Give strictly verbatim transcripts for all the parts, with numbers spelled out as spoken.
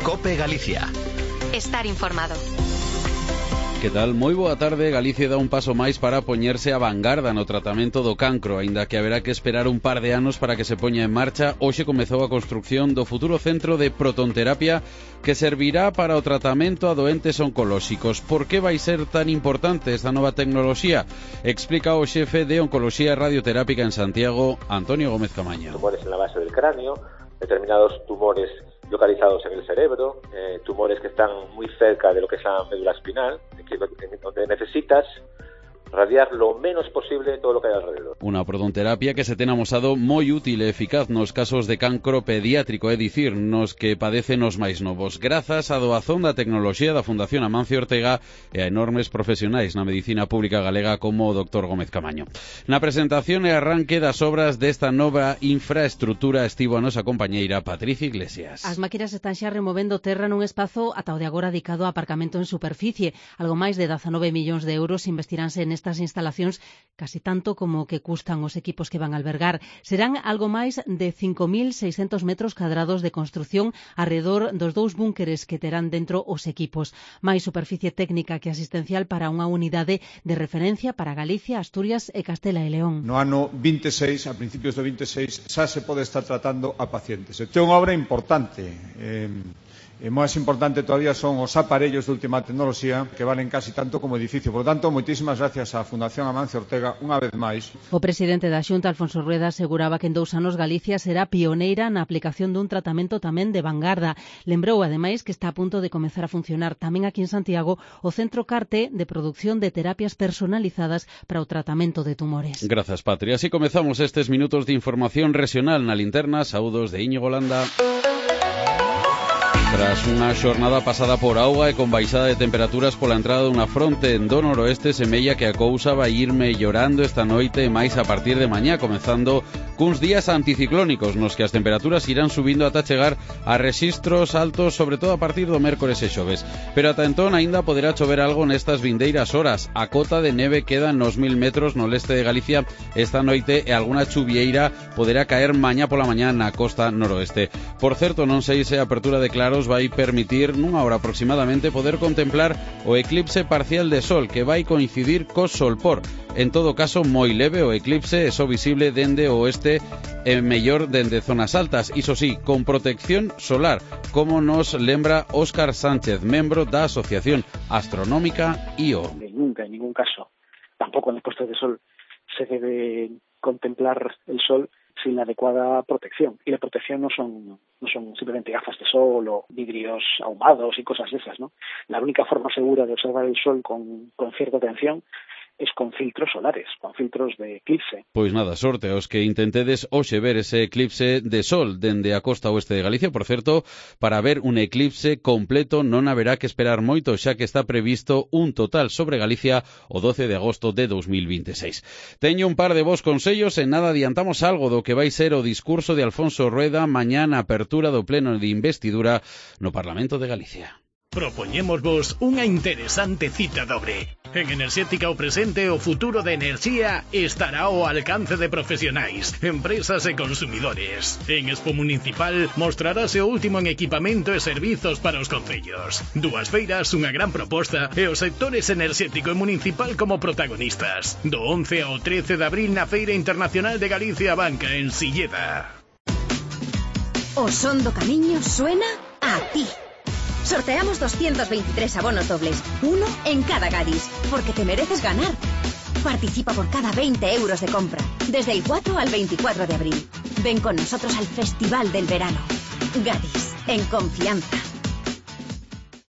COPE Galicia. Estar informado. Que tal? Moi boa tarde. Galicia dá un paso máis para poñerse a vanguarda no tratamento do cancro, aínda que haberá que esperar un par de anos para que se poña en marcha. Hoxe comezou a construción do futuro centro de protonterapia que servirá para o tratamento a doentes oncolóxicos. Por que vai ser tan importante esta nova tecnoloxía? Explica o xefe de Oncoloxía e Radioterápica en Santiago, Antonio Gómez Camaño. Tumores en la base del cráneo, determinados tumores localizados en el cerebro, eh, tumores que están muy cerca de lo que es la médula espinal, que, donde necesitas radiar lo menos posible todo lo que hay alrededor. Unha protonterapia que se ten amosado moi útil e eficaz nos casos de cancro pediátrico, é dicir, nos que padecen os máis novos, grazas á doazón da tecnoloxía da Fundación Amancio Ortega e a enormes profesionais na medicina pública galega como o doctor Gómez Camaño. Na presentación e arranque das obras desta nova infraestrutura estivo a nosa compañeira Patricia Iglesias. As máquinas están xa removendo terra nun espazo ata o de agora dedicado a aparcamento en superficie. Algo máis de dezanove millóns de euros investiránse en estas instalacións, casi tanto como que custan os equipos que van a albergar. Serán algo máis de cinco mil seiscentos metros cadrados de construción arredor dos dous búnkeres que terán dentro os equipos. Máis superficie técnica que asistencial para unha unidade de referencia para Galicia, Asturias e Castela e León. No ano vinte e seis, a principios do vinte e seis, xa se pode estar tratando a pacientes. Isto é unha obra importante. Eh, E máis importante todavía son os aparellos de última tecnoloxía que valen casi tanto como edificio. Por lo tanto, moitísimas gracias á Fundación Amancio Ortega unha vez máis. O presidente da Xunta, Alfonso Rueda, aseguraba que en dous anos Galicia será pioneira na aplicación dun tratamento tamén de vanguarda. Lembrou, ademais, que está a punto de comezar a funcionar tamén aquí en Santiago o Centro Carte de produción de terapias personalizadas para o tratamento de tumores. Grazas, Patria. Así comezamos estes minutos de información regional na linterna. Saúdos de Íñigo Landa. Tras unha xornada pasada por auga e con baixada de temperaturas pola entrada dunha fronte en do noroeste, semella que a cousa vai ir mellorando esta noite e máis a partir de mañá, comezando cuns días anticiclónicos nos que as temperaturas irán subindo ata chegar a rexistros altos, sobre todo a partir do mércores e xoves. Pero ata entón aínda poderá chover algo nestas vindeiras horas. A cota de neve queda nos mil metros no leste de Galicia esta noite e algunha chuvieira poderá caer mañá pola mañá na costa noroeste. Por certo, non sei se a apertura de claros vai permitir nunha hora aproximadamente poder contemplar o eclipse parcial de sol que vai coincidir co solpor. En todo caso, moi leve o eclipse, é só visible dende o oeste e mellor dende zonas altas, iso sí, con protección solar, como nos lembra Óscar Sánchez, membro da Asociación Astronómica I O. Nunca, en ningún caso, tampoco en el puesto de sol se debe contemplar el sol sin la adecuada protección. Y la protección no son no son simplemente gafas de sol o vidrios ahumados y cosas de esas, ¿no? La única forma segura de observar el sol con, con cierta atención es con filtros solares, con filtros de eclipse. Pois nada, sorte aos que intentedes hoxe ver ese eclipse de sol dende a costa oeste de Galicia. Por certo, para ver un eclipse completo non haberá que esperar moito, xa que está previsto un total sobre Galicia o doce de agosto de dos mil vinte e seis. Teño un par de vos consellos e nada adiantamos algo do que vai ser o discurso de Alfonso Rueda mañá na apertura do pleno de investidura no Parlamento de Galicia. Propoñémosvos unha interesante cita dobre. En Enerxética o presente e o futuro da enerxía estará ao alcance de profesionais, empresas e consumidores. En Expo Municipal mostrarase o último en equipamento e servizos para os concellos. Dúas feiras, unha gran proposta e os sectores enerxético e municipal como protagonistas. Do once ao trece de abril na Feira Internacional de Galicia Banca en Silleda. O son do camiño suena a ti. Sorteamos doscientos veintitrés abonos dobles, uno en cada Gadis, porque te mereces ganar. Participa por cada veinte euros de compra, desde el cuatro al veinticuatro de abril. Ven con nosotros al Festival del Verano. Gadis, en confianza.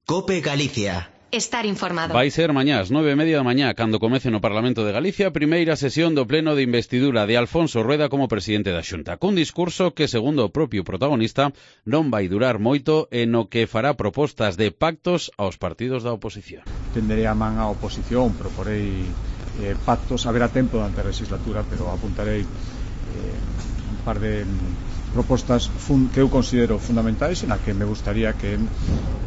COPE Galicia. Estar informado. Vai ser mañá ás nove e media da mañá cando comece no Parlamento de Galicia a primeira sesión do pleno de investidura de Alfonso Rueda como presidente da Xunta, cun discurso que, segundo o propio protagonista, non vai durar moito e no que fará propostas de pactos aos partidos da oposición. Tenderei a man á oposición, proporei eh, pactos, haberá tempo durante a legislatura, pero apuntarei eh, un par de propostas fun, que eu considero fundamentais e na que me gustaría que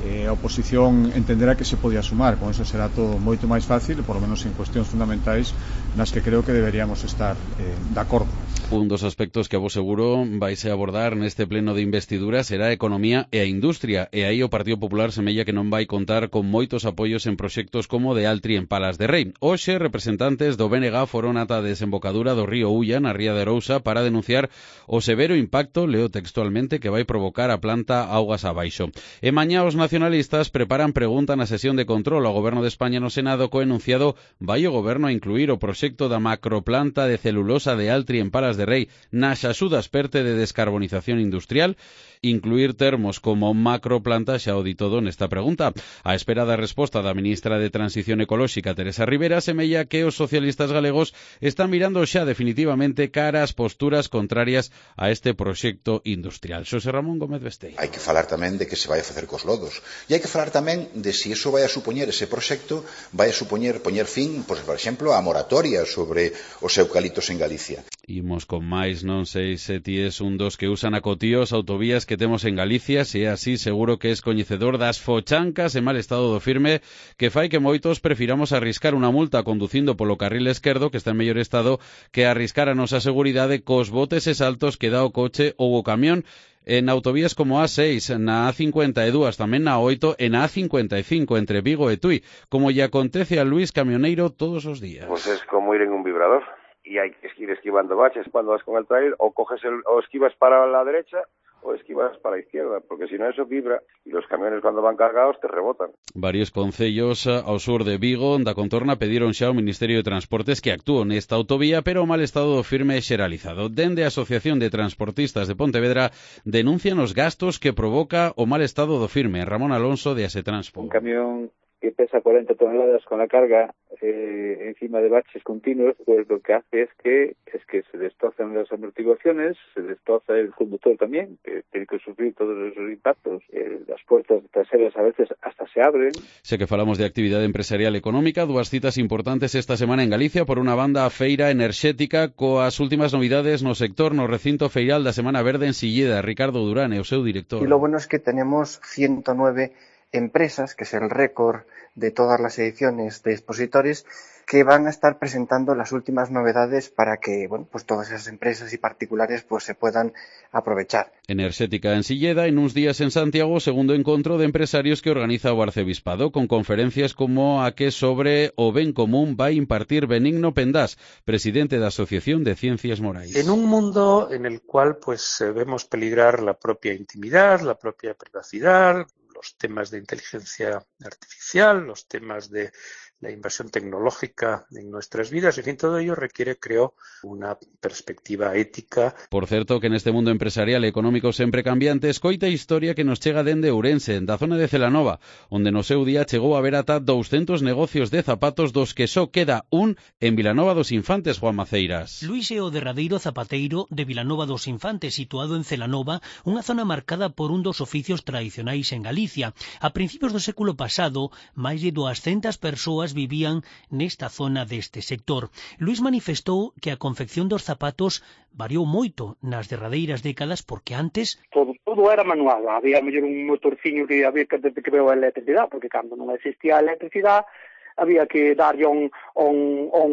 eh, a oposición entenderá que se podía sumar. Con eso será todo moito máis fácil, por lo menos en cuestións fundamentais nas que creo que deberíamos estar eh, de acordo. Un dos aspectos que a vos seguro vais a abordar neste pleno de investidura será a economía e a industria, e aí o Partido Popular semella que non vai contar con moitos apoios en proxectos como de Altri en Palas de Rei. Hoxe, representantes do B N G foron ata a desembocadura do río Ulla, na ría de Arousa, para denunciar o severo impacto, leo textualmente, que vai provocar a planta augas abaixo. E mañá os nacionalistas preparan pregunta na sesión de control ao Goberno de España no Senado co enunciado vai o Goberno a incluir o proxecto da macroplanta de celulosa de Altri en Palas de Rei nas axudas perte de descarbonización industrial. Incluir termos como macroplanta xa o di todo nesta pregunta. A espera da resposta da ministra de Transición Ecolóxica, Teresa Rivera, semella que os socialistas galegos están mirando xa definitivamente cara ás posturas contrarias a este proxecto industrial. Xosé Ramón Gómez Besteiro. Hai que falar tamén de que se vai a facer cos lodos. E hai que falar tamén de se iso vai a supoñer, ese proxecto vai a supoñer poñer fin, pois, por exemplo, a moratoria sobre os eucaliptos en Galicia. Imos con máis, non sei se ti es un dos que usan a cotío as autovías que temos en Galicia, se é así seguro que es coñecedor das fochancas e mal estado do firme que fai que moitos prefiramos arriscar unha multa conducindo polo carril esquerdo que está en mellor estado que arriscar a nosa seguridade cos botes e saltos que dá o coche ou o camión en autovías como a seis, na A cincuenta e dúas, tamén na A oito e na A cincuenta e cinco entre Vigo e Tui, como lle acontece a Luis Camioneiro todos os días. Pues es como ir en un vibrador y hay que ir esquivando baches cuando vas con el trailer, o coges el, o esquivas para la derecha o esquivas para la izquierda, porque si no eso vibra y los camiones cuando van cargados te rebotan. Varios concellos ao sur de Vigo da contorna pediron xa ao Ministerio de Transportes que actúe nesta autovía, pero o mal estado do firme é xeralizado. Dende a Asociación de Transportistas de Pontevedra denuncian os gastos que provoca o mal estado do firme. Ramón Alonso de Asetranspo. Un camión que pesa cuarenta toneladas con la carga eh, encima de baches continuos, pues lo que hace es que es que se destrozan las amortiguaciones, se destroza el conductor también, que tiene que sufrir todos esos impactos. Eh, las puertas traseras a veces hasta se abren. Sé que falamos de actividade empresarial e económica, dúas citas importantes esta semana en Galicia. Por unha banda, a feira enerxética coas últimas novidades no sector no recinto feiral da Semana Verde en Silleda. Ricardo Durán é o seu director. Y lo bueno es que tenemos ciento nueve empresas, que es el récord de todas las ediciones de expositores, que van a estar presentando las últimas novedades para que, bueno, pues todas esas empresas y particulares pues se puedan aprovechar. Enerxética en Silleda, en uns días en Santiago, segundo encontro de empresarios que organiza o Arcebispado, con conferencias como a que sobre o ben común vai impartir Benigno Pendás, presidente da Asociación de Ciencias Morais. En un mundo en el cual pues vemos peligrar la propia intimidad, la propia privacidad, los temas de inteligencia artificial, los temas de la invasión tecnológica en nuestras vidas, en fin, todo ello requiere, creo, una perspectiva ética. Por certo, que neste mundo empresarial e económico sempre cambiante, escoita a historia que nos chega dende Ourense, da zona de Celanova, onde no seu día chegou a haber ata douscentos negocios de zapatos dos que só queda un en Vilanova dos Infantes, Juan Maceiras. Luís é o derradeiro zapateiro de Vilanova dos Infantes, situado en Celanova, unha zona marcada por un dos oficios tradicionais en Galicia. A principios do século pasado, máis de duascentas persoas vivían nesta zona deste sector. Luís manifestou que a confección dos zapatos variou moito nas derradeiras décadas porque antes todo, todo era manual, había mellor un motorciño que había que, que veo a electricidade, porque cando non existía a electricidade había que darlle un, un, un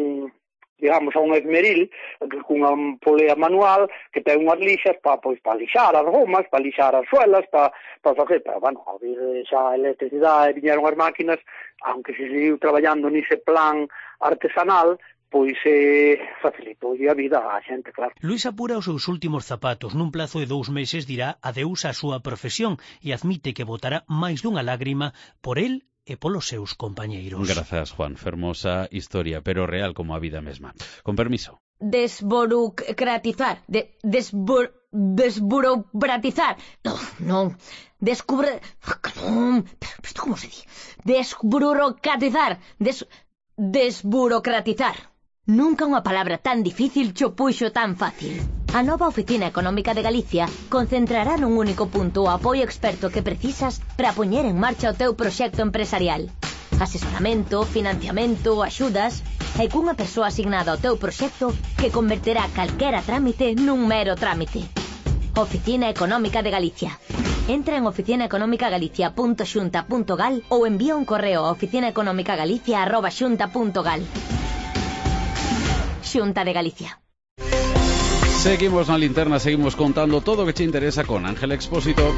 digamos, a un esmeril cunha polea manual que ten unhas lixas para pois, para lixar as gomas, para lixar as suelas, para, para facer, pero, bueno, ao vir xa a electricidade viñeron as máquinas, aunque se seguiu traballando nese plan artesanal, pois eh, facilitou a vida á xente, claro. Luís apura os seus últimos zapatos. Nun plazo de dous meses dirá adeus á súa profesión e admite que botará máis dunha lágrima por el e polos seus compañeiros. Grazas, Juan. Fermosa historia, pero real como a vida mesma. Con permiso. Desburocratizar. De, desbur, desburocratizar. No, non. Descubre... Non. Pero isto como se di? Desburocratizar. Des, desburocratizar. Nunca unha palabra tan difícil cho puxo tan fácil. A nova Oficina Económica de Galicia concentrará nun único punto o apoio experto que precisas para poñer en marcha o teu proxecto empresarial. Asesoramento, financiamento, axudas e cunha persoa asignada ao teu proxecto que converterá calquera trámite nun mero trámite. Oficina Económica de Galicia. Entra en oficina económica galicia punto xunta punto gal ou envía un correo a oficina económica galicia arroba xunta punto gal. Xunta de Galicia. Seguimos na linterna, seguimos contando todo o que che interesa con Ángel Expósito.